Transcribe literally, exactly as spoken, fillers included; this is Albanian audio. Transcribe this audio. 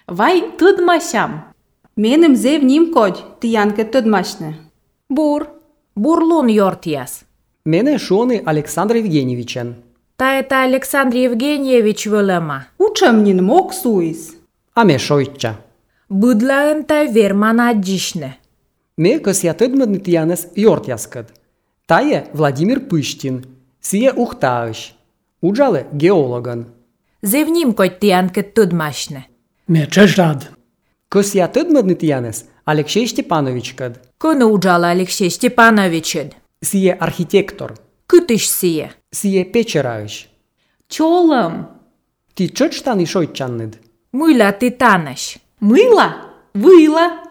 Вай тыдмасям. Меним зевним кодь тиянке тыдмасьне. Бур. Бурлун ёртияс. Мене шоны Александр Евгеньевичен. Та это Александр Евгеньевич вылема. Учемнин мок суис. А ме шойтча. Быдлаын та верман аджишне. Ме кысья тыдмадны тиянес ёртяскыд. Тае Владимир Пыштин. Сие ухтаыш. Уджале геологын. Зевним кодь тиянке тыдмасьне. Ме чжад. Кысья тыдмадны тиянес Алексей Степановичкыд. Кыны уджала Алексей Степановичыд. Сие архитектор. Кытыш сие. Сие печераыш. Чолым. Ти чычтаны шойтчанныд. Мыла ты таныш. Мыла? Выла.